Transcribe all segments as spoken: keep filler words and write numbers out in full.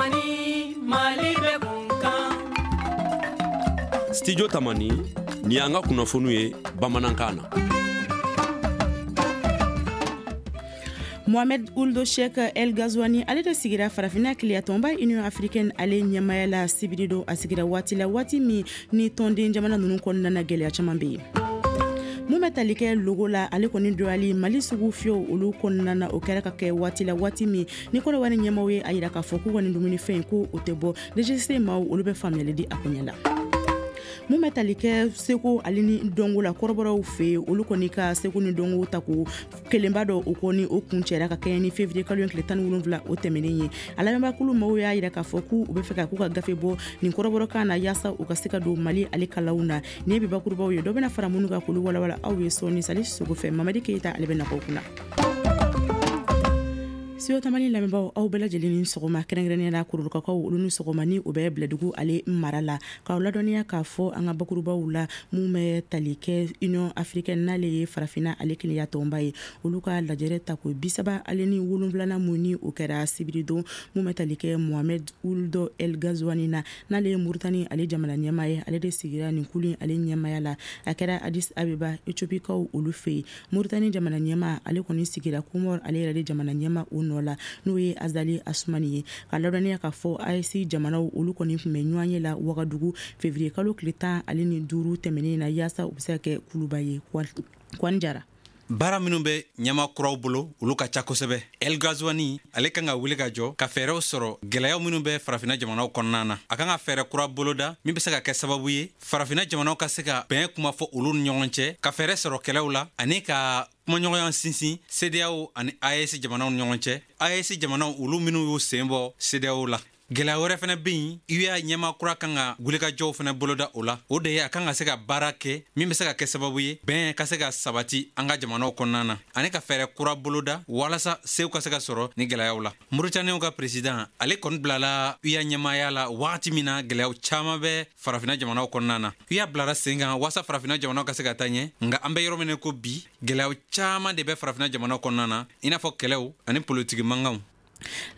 Tamani, Mali bɛ kun kan. Studio Tamani, ni y'an ka kunnafoniw ye bamanankan na. Mohamed Ould Cheikh El Ghazouani ale de sigira farafinna keleyatɔnba Union africaine ale ɲɛmaya la sibiri don. A sigira waati la, waati min ni tɔnden jamana ninnu kɔnɔna na, gɛlɛya caman bɛ yen. Mun bɛ tali kɛ logo la, ale kɔni dɔyali Mali sugu fiyew olu kɔnɔna na, o kɛra ka kɛ waati la, waati min ni Kɔdiwari ɲɛmaw ye a yira k'a fɔ k'u ka nin dumunifɛn ko o tɛ bɔ. D G C maaw, olu bɛ faamuyali di a koɲɛ la. Mun bɛ tali kɛ seko ale ni dɔnko la kɔrɔbɔrɔw fɛ yen, olu kɔni ka seko ni dɔnko ta ko kelenba dɔ, o kɔni o kun cɛra ka kɛɲɛ ni février kalo tile tan ni wolonwula o tɛmɛnen ye. A lamɛnbaakulu maaw y'a yira k'a fɔ k'u bɛ fɛ ka k'u ka gafe bɔ nin kɔrɔbɔrɔkan na, yaasa u ka se ka don Mali ale kalanw na. Nin ye bi bakurubaw ye. Dɔ bɛna fara minnu kan k'olu walawala aw ye sɔɔni Sali Sogo fɛ. Mamadi Keyita, ale bɛ nakɔ kunna. Studio Tamani lamɛnbaaw, aw bɛɛ lajɛlen ni sɔgɔma. Kɛrɛnkɛrɛnnenya la, Korolokakaw, olu ni sɔgɔma ni o bɛ Bilɛdugu ale mara la, k'aw ladɔnniya k'a fɔ an ka bakurubaw la, mun bɛ tali kɛ Union africaine, n'ale ye farafinna ale kelenya tɔnba ye, olu ka lajɛrɛ tako bi saba ale ni wolonfilanan mun ni o kɛra sibiri don. Mun bɛ tali kɛ Mohamed Ould El Ghazouani na, n'ale ye Muritani ale jamana ɲɛmaa ye, ale de sigira nin kulu ale ɲɛmaaya la. A kɛra Addis Abeba, Ethiopikaw olu fɛ yen. Muritani jamana ɲɛmaa, ale kɔni sigira Comore ale yɛrɛ de jamana ɲɛmaa o nɔ la, n'o ye Azali Asumani ye. Ka ladɔnniya k'a fɔ A E S jamanaw, olu kɔni tun bɛ ɲɔgɔn ye la Wagadugu février kalo tile tan ale ni duuru tɛmɛnen na, yaasa u bɛ se ka kɛ kuluba ye. Kwani Jara. Baara minw bɛ ɲɛma kuraw bolo, olu ka ca kosɛbɛ. El Gazwani, ale kan ka wuli ka jɔ ka fɛɛrɛw sɔrɔ gwɛlɛyaw minw bɛ farafina jamanaw kɔnɔna na. A kan ka fɛɛrɛ kura boloda min be se ka kɛ sababu ye farafina jamanaw ka se ka bɛn kuma fɔ olu ni ɲɔgɔn cɛ, ka fɛɛrɛ sɔrɔ kɛlɛw la, ani ka kumaɲɔgɔnya sinsin CEDEAO ani A E S jamanaw ni ɲɔgɔn cɛ, A E S jamanaw olu minw y'u sen bɔ CEDEAO la. Gwɛlɛya wɛrɛ fɛnɛ be yen, U E A ɲɛma kura kan ka wulikajɔw fɛnɛ boloda o la. O de ye a kan ka se ka baara kɛ min be se ka kɛ sababu ye bɛn ka se ka sabati an ka jamanaw kɔnɔna na, ani ka fɛɛrɛ kura boloda walasa sew ka se ka sɔrɔ ni gwɛlɛyaw la. Mauritaniw ka président, ale kɔni bilala U E A ɲɛmaya la wagati min na gwɛlɛyaw caaman bɛ farafina jamanaw kɔnɔna na. U E A bilara sen kan waasa farafina jamanaw ka se ka taa ɲɛ, nga an bɛ yɔrɔ min ko bi, gwɛlɛyaw caaman de bɛ farafina jamanaw kɔnɔna na, i n'a fɔ kɛlɛw ani politiki mankanw.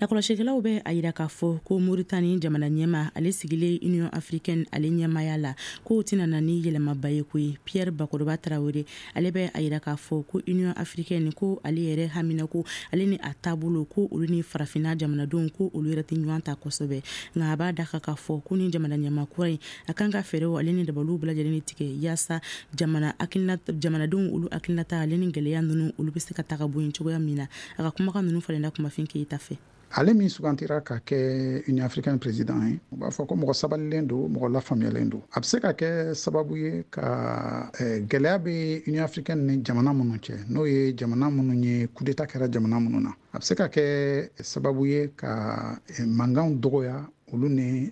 Lakɔlɔsikɛlaw bɛ a yira k'a fɔ ko Moritani jamana ɲɛma, ale sigilen Union africaine ale ɲɛmaya la, k'o tɛna na ni yɛlɛmaba ye koyi. Pierre Bakoroba Tarawele, ale bɛ a yira k'a fɔ ko Union africaine, ko ale yɛrɛ hamina ko ale ni a taabolo, ko olu ni farafinna jamanadenw, ko olu yɛrɛ tɛ ɲɔgɔn ta kosɛbɛ. Nka a b'a da kan k'a fɔ ko ni jamana ɲɛma kura in, a kan ka fɛɛrɛw ale ni dabaliw bɛɛ lajɛlen tigɛ yaasa jamana hakilina, jamanadenw olu hakilinata ale ni gɛlɛya ninnu, olu bɛ se ka ta ka bɔ yen cogoya min na. A ka kumakan ninnu falenna Kumafin Keyita fɛ. Ale min sugantira ka kɛ Union africaine président ye, u b'a fɔ ko mɔgɔ sabalilen don, mɔgɔ lafaamuyalen don. A bɛ se ka kɛ sababu ye ka gɛlɛya bɛ Union africaine ni jamana minnu cɛ, n'o ye jamana minnu ye coup d'état kɛra jamana minnu na, a bɛ se ka kɛ sababu ye ka mankanw dɔgɔya olu ni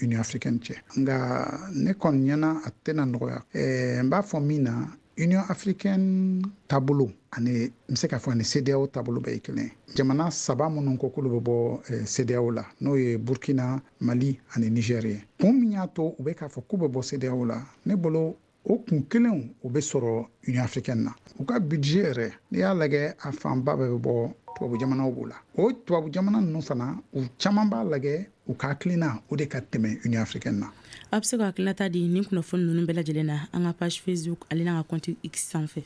Union africaine cɛ. Nka ne kɔni ɲɛna, a tɛna nɔgɔya. N b'a fɔ min na, Union africaine taabolo ani n bɛ se k'a fɔ ani CEDEAO taabolo bɛɛ ye kelen ye. Jamana saba minnu ko k'olu bɛ bɔ CEDEAO la, n'o ye Burkina, Mali ani Niger ye, kun min y'a to u bɛ k'a fɔ k'u bɛ bɔ CEDEAO la, ne bolo o kun kelenw o bɛ sɔrɔ Union africaine na. U ka budget yɛrɛ, n'i y'a lajɛ, a fanba bɛɛ bɛ bɔ tubabu jamanaw b'o la. O tubabu jamana ninnu fana, u caman b'a lajɛ u ka hakilina o de ka tɛmɛ Union africaine na. A bɛ se ka hakilinata di nin kunnafoni ninnu bɛɛ lajɛlen na an ka page Facebook ale n'an ka compte X sanfɛ.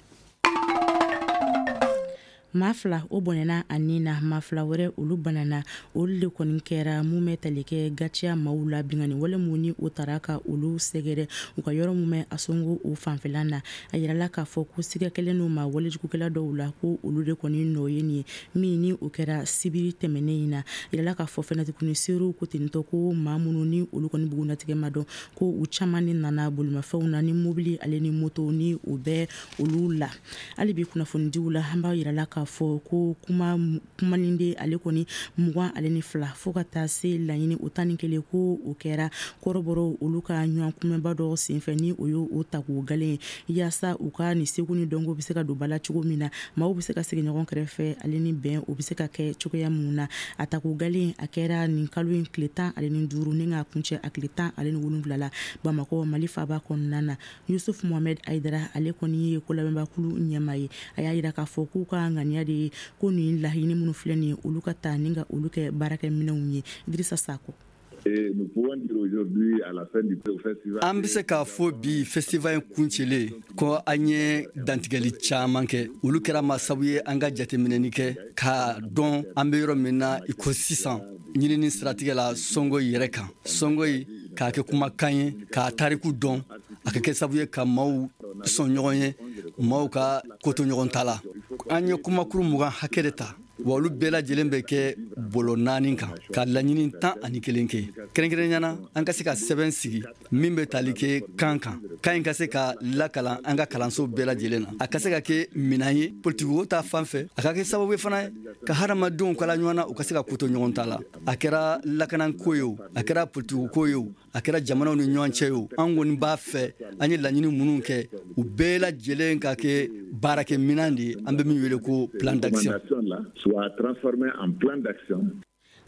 Maa fila o bɔnɛna a nin na, maa fila wɛrɛ olu banana. Olu de kɔni kɛra mun bɛ tali kɛ Gatiya maaw la, bingani wale mun ni o tara ka olu sɛgɛrɛ u ka yɔrɔ mun bɛ Asongo o fanfɛla na. A yirala k'a fɔ ko siga kɛlen n'u ma walejugukɛla dɔw la, ko olu de kɔni nɔ ye nin ye min ni o kɛra sibiri tɛmɛnen in na. A yirala k'a fɔ fɛnɛ tuguni, seerew ko tentɔ ko maa minnu ni olu kɔni bugunnatigɛ ma dɔn, ko u caman ni nana bolimafɛnw na ni mobili ale ni moto ni o bɛ olu la. Hali bi kunnafonidiw la, an b'a yirala k'a fɔ ko kuma kumalinde ale kɔni mugan ale ni fila fo ka taa se laɲini o tan ni kelen, ko o kɛra kɔrɔbɔrɔw olu ka ɲɔgɔn kunbɛnba dɔ senfɛ, ni o ye o ta k'o galen ye, yaasa u ka nin seko ni dɔnko bɛ se ka don ba la cogo min na, maaw bɛ se ka sigi ɲɔgɔn kɛrɛfɛ ale ni bɛn o bɛ se ka kɛ cogoya mun na. A ta k'o galen, a kɛra nin kalo in tile tan ale ni duuru ni k'a kuncɛ a tile tan ale ni wolonwula la, Bamakɔ, Mali faaba kɔnɔna na. Yusuf Mohamɛd Ayidara, ale kɔni ye ko labɛnbakulu ɲɛmaa ye, a y'a yira k'a fɔ k'u ka ŋaniya ŋaniya de ye ko nin laɲini minnu filɛ nin ye, olu ka taa ni ka olu kɛ baarakɛminɛnw ye. Dirisa Sako. An bɛ se k'a fɔ bi festival in kuncɛlen ko an ye dantigɛli caman kɛ. Olu kɛra ma sabu ye an ka jateminɛni kɛ k'a dɔn an bɛ yɔrɔ min na i ko sisan ɲinini siratigɛ la Sɔngoyi yɛrɛ kan. Sɔngoyi k'a kɛ kumakan ye, k'a tariku dɔn, a ka kɛ sabu ye ka maaw sɔn ɲɔgɔn ye, maaw ka koto ɲɔgɔn ta la. An ye kumakuru mugan hakɛ de ta, wa olu bɛɛ lajɛlen bɛ kɛ bolo naani kan ka laɲini tan ani kelen kɛ. Kɛrɛnkɛrɛnnenya na, an ka se ka sɛbɛn sigi min bɛ tali kɛ kan kan, kan in ka se ka lakalan an ka kalanso bɛɛ lajɛlen na, a ka se ka kɛ minɛn ye politikiko ta fan fɛ, a ka kɛ sababu ye fana ka hadamadenw kala ɲɔgɔn na, u ka se ka koto ɲɔgɔn ta la. A kɛra lakanako ye o, a kɛra politikiko ye o, a kɛra jamanaw ni ɲɔgɔn cɛ ye o, an kɔni b'a fɛ an ye laɲini minnu kɛ, u bɛɛ lajɛlen ka kɛ baarakɛminɛn de ye, an bɛ min wele ko plan d'action.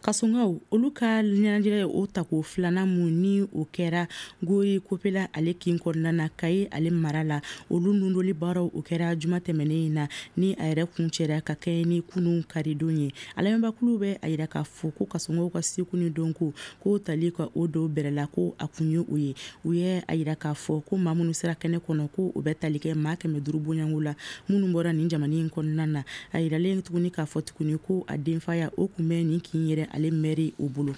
Kasɔnkaw olu ka ɲɛnajɛ o tako filanan mun ni o kɛra Gori Kopela ale kin kɔnɔna na Kayi ale mara la, olu nundoli baaraw o kɛra juma tɛmɛnen in na ni a yɛrɛ kuncɛra ka kɛ ni kunun karidon ye. A lamɛnbakulu bɛ a yira k'a fɔ ko kasɔnkaw ka seko ni dɔnko k'o tali ka o don bɛrɛ la ko a kun ye o ye. U ye a yira k'a fɔ ko maa minnu sera kɛnɛ kɔnɔ ko o bɛ tali kɛ maa kɛmɛ duuru bonyanko la minnu bɔra nin jamana in kɔnɔna na. A yiralen tuguni k'a fɔ tuguni ko a denfaya o kun bɛ nin kin yɛrɛ ale mɛri o bolo.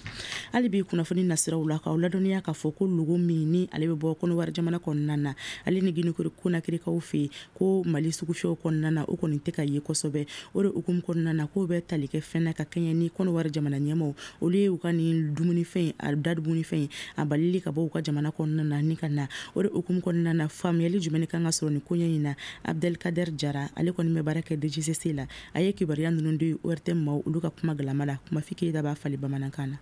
Hali bi kunnafoni nasiraw la, k'aw ladɔnniya k'a fɔ ko logo min ni ale bɛ bɔ Kɔnɔwari jamana kɔnɔna na, ale ni Guinée Conakrykaw fɛ yen, ko Mali sugufiyɛw kɔnɔna na o kɔni tɛ ka ye kosɛbɛ. O de hukumu kɔnɔna na k'o bɛ tali kɛ fɛn na ka kɛɲɛ ni Kɔnɔwari jamana ɲɛmaaw olu ye u ka nin dumunifɛn, a da dumunifɛn a balili ka bɔ u ka jamana kɔnɔna na ni ka na. O de hukumu kɔnɔna na faamuyali jumɛn kan ka sɔrɔ nin koɲɛ in na? Abdelkader Jara, ale kɔni bɛ baara kɛ D G C C la, a ye kibaruya ninnu di O R T M maaw olu ka kuma galama la. Kuma fike da b'a fali bamanankan na.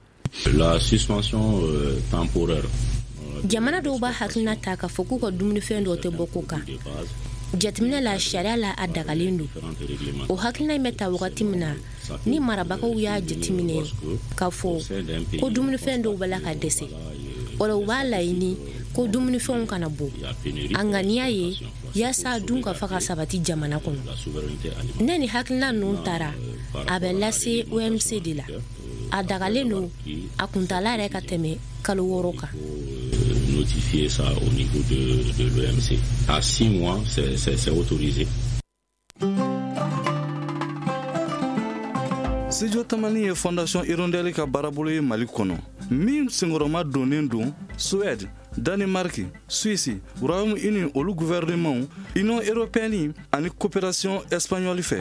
La suspension euh, temporaire. Jamana dɔw b'a hakilina ta k'a fɔ k'u ka dumunifɛn dɔw tɛ bɔ ko kan. Jateminɛ la, sariya la a dagalen don. O hakilina in bɛ ta wagati min na ni marabagaw y'a jateminɛ k'a fɔ ko dumunifɛn dɔw b'a la ka dɛsɛ, o la u b'a laɲini ko dumunifɛnw kana bɔ. A ŋaniya ye yaasa dun ka fa ka sabati jamana kɔnɔ. Ne ni hakilina ninnu taara, a bɛ lase O M C de la. A dagalen don, a kuntala yɛrɛ ka tɛmɛ kalo wɔɔrɔ kan. Notifier ça au niveau de, de l'O M C. À six mois, c'est, c'est, c'est autorisé. Studio Tamani ye Fondation Hirondelle ka baarabolo ye Mali kɔnɔ, min senkɔrɔma donnen don Suède, Danemark, Suisse, Royaume-Uni olu gouvernement, Union européenne ani coopération espagnole fɛ.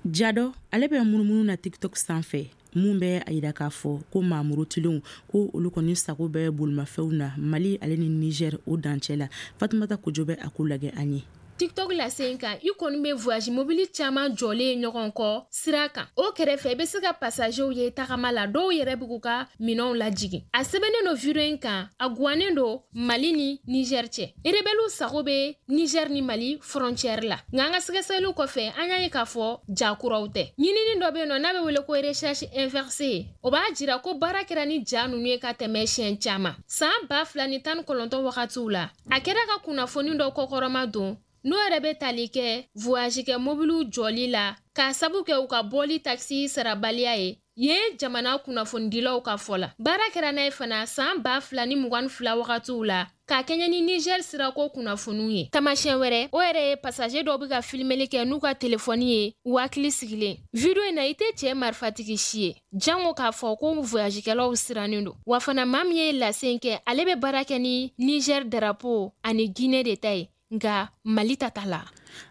Jadɔ ale bɛ munumunu na TikTok sanfɛ mun bɛ a yira k'a fɔ ko maa murutilenw ko olu kɔni sago bɛ bolimafɛnw na Mali ale ni Niger o dancɛ la. Fatumata Kojo bɛ a ko lajɛ an ye. TikTok la sen kan, i kɔni bɛ voyage mobili caman jɔlen ɲɔgɔn kɔ sira kan. O kɛrɛfɛ i bɛ se ka passagerw ye tagama la, dɔw yɛrɛ bɛ k'u ka minɛnw lajigin. A sɛbɛnnen don video in kan, a guwannen don Mali ni Niger cɛ. Rebelles sago bɛ Niger ni Mali frontière la. Nka an ka sɛgɛsɛgɛliw kɔfɛ, an y'a ye k'a fɔ ja kuraw tɛ. Ɲinini dɔ bɛ yen nɔ n'a bɛ wele ko recherche inversée. O b'a jira ko baara kɛra ni ja ninnu ye ka tɛmɛ siɲɛ caman. San ba fila ni tan ni kɔnɔntɔn wagatiw la, a kɛra ka kunnafoni dɔ kɔkɔrɔma don n'o yɛrɛ bɛ tali kɛ voyage kɛ mobiliw jɔli la k'a sabu kɛ u ka bɔli taxi sarabaliya ye yen jamana kunnafonidilaw ka fɔ la. Baara kɛra n'a ye fana san ba fila ni mugan ni fila wagatiw la k'a kɛɲɛ ni Niger sirako kunnafoniw ye. Taamasiyɛn wɛrɛ, o yɛrɛ ye passager dɔw bɛ ka filimeli kɛ n'u ka telefɔni ye u hakili sigilen. Video in na, i tɛ cɛ marifatigi si ye, jango k'a fɔ ko voyagekɛlaw sirannen don. Wa fana maa min ye lase in kɛ, ale bɛ baara kɛ ni Niger drapeau ani Guinée de ta ye, nka Mali ta t'a la.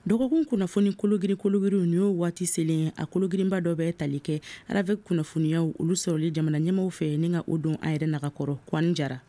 Dɔgɔkun kunnafoni kologiri kologiriw nin y'o waati selen, a kologirinba dɔ bɛ tali kɛ R A V kunnafoniyaw olu sɔrɔli jamana ɲɛmaw fɛ ni ka o don an yɛrɛ nagakɔrɔ. Kwani Jara.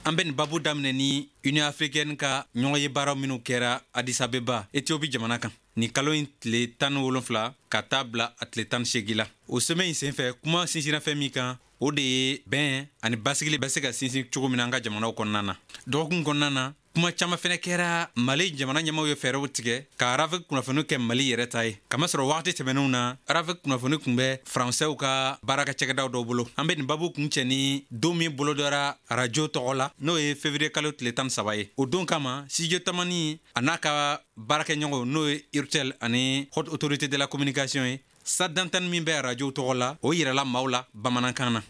An bɛ nin babu daminɛ ni Union africaine ka ɲɔgɔnye baaraw minnu kɛra Addis Abeba, Ethiopie jamana kan, nin kalo in tile tan ni wolonfila ka taa bila a tile tan ni seegin la. O sɛmɛ in senfɛ, kuma sinsinna fɛn min kan, o de ye bɛn ani basigili bɛ se ka sinsin cogo min na an ka jamanaw kɔnɔna na. Dɔgɔkun kɔnɔna na, Kuma caman fɛnɛ kɛra Mali jamana ɲɛmaaw ye fɛɛrɛw tigɛ ka RAVEC kunnafoni kɛ Mali yɛrɛ ta ye. Kamasɔrɔ wagati tɛmɛnenw na, RAVEC kunnafoni tun bɛ Faransɛw ka baarakɛ cakɛdaw dɔw bolo. An bɛ nin babu kun cɛ ni don min bolodara arajo tɔgɔ la, n'o ye février kalo tile tan ni saba ye. O don kama, Studio Tamani a n'a ka baarakɛɲɔgɔnw, n'o ye Urtel ani Haute Autorité de la Communication ye, salle d'antenne min bɛ arajo tɔgɔ la, o yirala maaw la bamanankan na.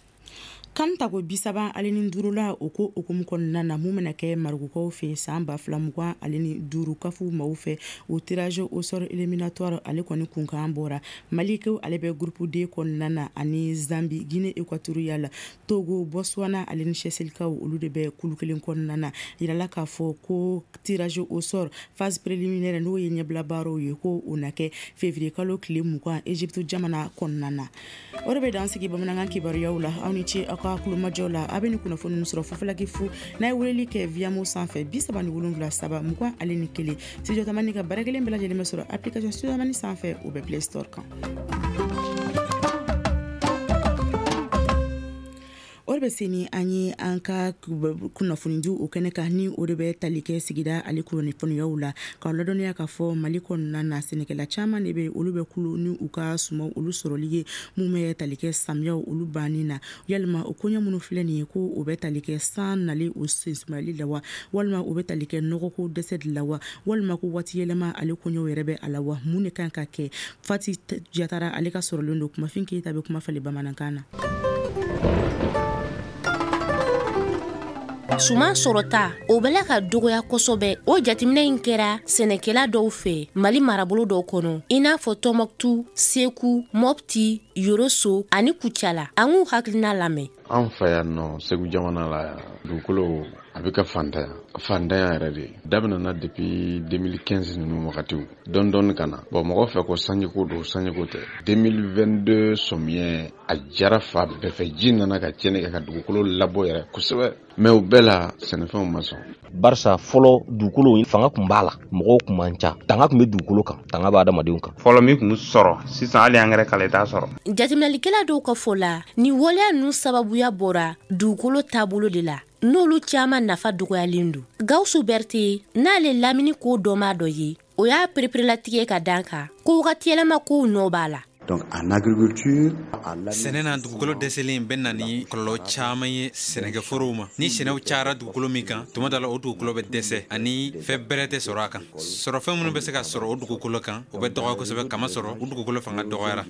Kan tako bisaba ale ni duuru la, o ko hukumu kɔnɔna na, mun bɛna kɛ Marɔkukaw fɛ san ba fila mugan ale ni duuru kafu maaw fɛ, o tirage au sort éliminatoire ale kɔni kunkan bɔra. Malikaw ale bɛ groupe D kɔnɔna na ani Zambie, Guinée équatoriale, Togo, Botswana ale ni Seychelles, olu de bɛ kulu kelen kɔnɔna na. Yirala k'a fɔ ko tirage au sort phase préliminaire, n'o ye ɲɛbila baaraw ye, ko o na kɛ février kalo tile mugan Égypte jamana kɔnɔna na. O de bɛ dan sigi bamanankan kibaruyaw la. Aw ni ce aw ka kulomajɔ la. A bɛ ni kunnafoni sɔrɔ fufalaki fu n'a ye weleli kɛ Viamo sanfɛ bi saba ni wolonwula saba mugan ale ni kelen. Studio Tamani ka baara kelen bɛɛ lajɛlen bɛ sɔrɔ application Studio Tamani sanfɛ, o bɛ Play Store kan. O de bɛ se ni an ye an ka kunnafonidiw o kɛnɛ kan, ni o de bɛ tali kɛ sigida ale kunnafoniyaw la, k'a ladɔnniya k'a fɔ Mali kɔnɔna na, sɛnɛkɛla caman de bɛ, olu bɛ kulu ni u ka sumaw olu sɔrɔli ye mun bɛ tali kɛ samiyaw olu banni na. Yalima o koɲɛ minnu filɛ nin ye, ko o bɛ tali kɛ san nali o sensumayali la wa, walima o bɛ tali kɛ nɔgɔko dɛsɛ de la wa, walima ko waati yɛlɛma ale koɲɛw yɛrɛ bɛ a la wa, mun de kan ka kɛ? Fati Jatara ale ka sɔrɔlen don. Kumafin Keyita bɛ kuma falen bamanankan na. Suman sɔrɔta o bɛ la ka dɔgɔya kosɛbɛ. O jateminɛ in kɛra sɛnɛkɛla dɔw fɛ Mali marabolo dɔw kɔnɔ, i n'a fɔ Tɔnbɔkutu, Segu, Mɔpti, Yoroso ani Kucala. An k'u hakilina lamɛn. An fɛ yan nɔ, Segu jamana la yan, dugukolo a bɛ ka fantanya fantanya yɛrɛ de daminɛna depuis deux mille quinze ninnu wagatiw dɔɔni dɔɔni ka na. Bon, mɔgɔ fɛ ko sanjiko don, sanjiko tɛ. deux mille vingt-deux sɔmiyɛ a jara fa bɛɛ fɛ, ji nana ka tiɲɛni kɛ ka dugukolo labɔ yɛrɛ kosɛbɛ, mais o bɛɛ la sɛnɛfɛnw ma sɔn. Barisa fɔlɔ dugukolo fanga tun b'a la, mɔgɔw tun man ca, tanga tun bɛ dugukolo kan, tanga b'a adamadenw kan. Fɔlɔ min tun bɛ sɔrɔ, sisan hali angɛrɛ kala i t'a sɔrɔ. Jateminɛlikɛla dɔw ka fɔ la, nin waleya ninnu sababuya bɔra dugukolo taabolo de la, n'olu caman nafa dɔgɔyalen don. Gawusu Berete, n'ale lamini ko dɔnbaa dɔ ye, o y'a pereperelatigɛ ka dan kan ko wagati yɛlɛma kow nɔ b'a la. Donc en agriculture, sɛnɛ na, dugukolo dɛsɛlen bɛ na ni kɔlɔlɔ caman ye sɛnɛkɛforow ma. Ni sɛnɛw cayara dugukolo min kan, tuma dɔ la o dugukolo bɛ dɛsɛ ani fɛn bɛrɛ tɛ sɔrɔ a kan. Sɔrɔfɛn minnu bɛ se ka sɔrɔ o dugukolo kan, o bɛ dɔgɔya kosɛbɛ, kamasɔrɔ o dugukolo fanga dɔgɔyara.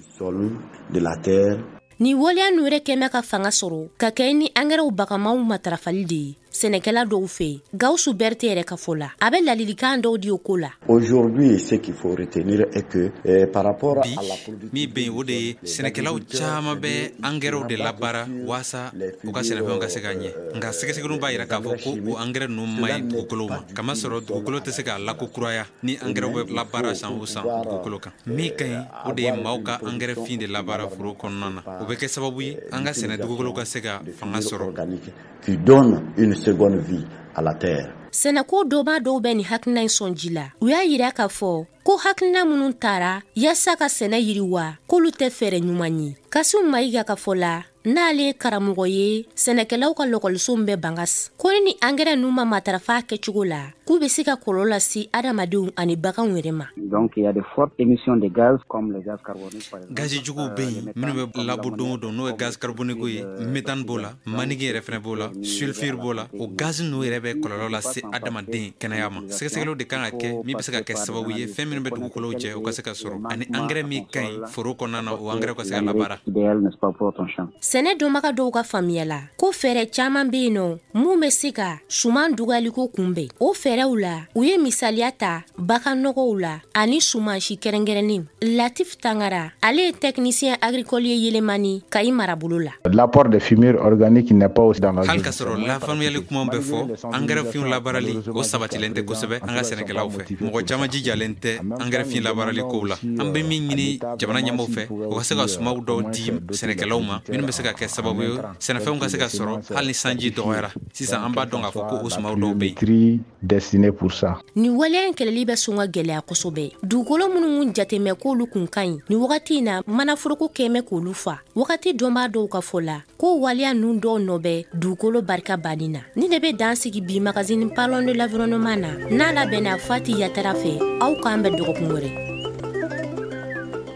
De la terre. Ni waleya ninnu yɛrɛ kɛn bɛ ka fanga sɔrɔ ka kɛ ni angɛrɛw bagamaw matarafali de ye sɛnɛkɛla dɔw fɛ. Gawusu Berete yɛrɛ ka fɔ la, a bɛ ladilikan dɔw di o ko la. Aujourd'hui, ce qu'il faut retenir est que eh, par rapport bi à la min bɛ yen, o de ye sɛnɛkɛlaw caman bɛ angɛrɛw de labaara waasa u ka sɛnɛfɛnw ka se ka ɲɛ. Nka sɛgɛsɛgɛliw b'a yira k'a fɔ ko o angɛrɛ ninnu man ɲi dugukolow ma, kamasɔrɔ dugukolo tɛ se k'a lakokuraya ni angɛrɛw bɛ labaara san o san dugukolo kan. Min ka ɲi, o de ye maaw ka angɛrɛ fin de labaara foro kɔnɔna na. O bɛ kɛ sababu ye an ka sɛnɛ dugukolo ka se ka fanga sɔrɔ. Qui donne une seconde vie à la terre. Sɛnɛko dɔba dɔw bɛ nin hakilina in sɔn ji la. U y'a yira k'a fɔ ko hakilina minnu tara yaasa ka sɛnɛ yiriwa, k'olu tɛ fɛɛrɛ ɲuman ye. Kasimu Mayiga ka fɔ la, n'ale ye karamɔgɔ ye sɛnɛkɛlaw ka lɔkɔliso min bɛ Bangas, ko ni ni angɛrɛ ninnu ma matarafa kɛcogo la, k'u bɛ se ka kɔlɔlɔ lase adamadenw ani baganw yɛrɛ ma. Donc il y a de fortes émissions de gaz comme le gaz carbonique par exemple. Gazi juguw bɛ yen minnu bɛ labɔ don o don, n'o ye gaz carbonique ye, méthane b'o la, maniki yɛrɛ fɛnɛ b'o la, sulfure b'o la. O gazi ninnu yɛrɛ bɛ kɔlɔlɔ lase adamaden kɛnɛya ma. Sɛgɛsɛgɛliw de kan ka kɛ min bɛ se ka kɛ sababu ye fɛn minnu bɛ dugukolow cɛ, o ka se ka sɔrɔ, ani angɛrɛ min ka ɲi foro kɔnɔna na, o angɛrɛ ka se ka labaara. Sɛnɛ dɔnbaga dɔw ka faamuya la, ko fɛɛrɛ caman bɛ yen nɔ mun bɛ se ka suman dɔgɔyaliko kunbɛn. O fɛɛrɛw la, u ye misaliya ta bagan nɔgɔw la ani sumansi kɛrɛnkɛrɛnnen. Latif Tangara, ale ye technicien agricole ye Yelemani Kayi marabolo la. L'apport de fumier organique n'est pas aussi dans la Hali ka sɔrɔ lafaamuyali kumaw bɛ fɔ, angɛrɛ finw labaarali o sabatilen tɛ kosɛbɛ an ka sɛnɛkɛlaw fɛ. Mɔgɔ caman jijalen tɛ angɛrɛ fin labaarali kow la. An bɛ min ɲini jamana ɲɛmaaw fɛ, o ka se ka sumaw dɔw di sɛnɛkɛlaw ma minnu bɛ se ka kɛ sababu ye sɛnɛfɛnw ka se ka sɔrɔ hali ni sanji dɔgɔyara. Sisan an b'a dɔn k'a fɔ ko o sumaw dɔw bɛ yen. Des destiné pour ça. Nin waleya in kɛlɛli bɛ sɔn ka gɛlɛya kosɛbɛ. Dugukolo minnu kun jatemɛ k'olu kun ka ɲi nin wagati in na, manaforoko kɛmɛ k'olu fa. Wagati dɔnbaa dɔw ka fɔ la ko waleya ninnu dɔw nɔ bɛ dugukolo barika banni na. Ni de bɛ dan sigi bi magazine Parlons de l'environnement na, n'a labɛnna Fati Yatara fɛ. Aw k'an bɛn dɔgɔkun wɛrɛ.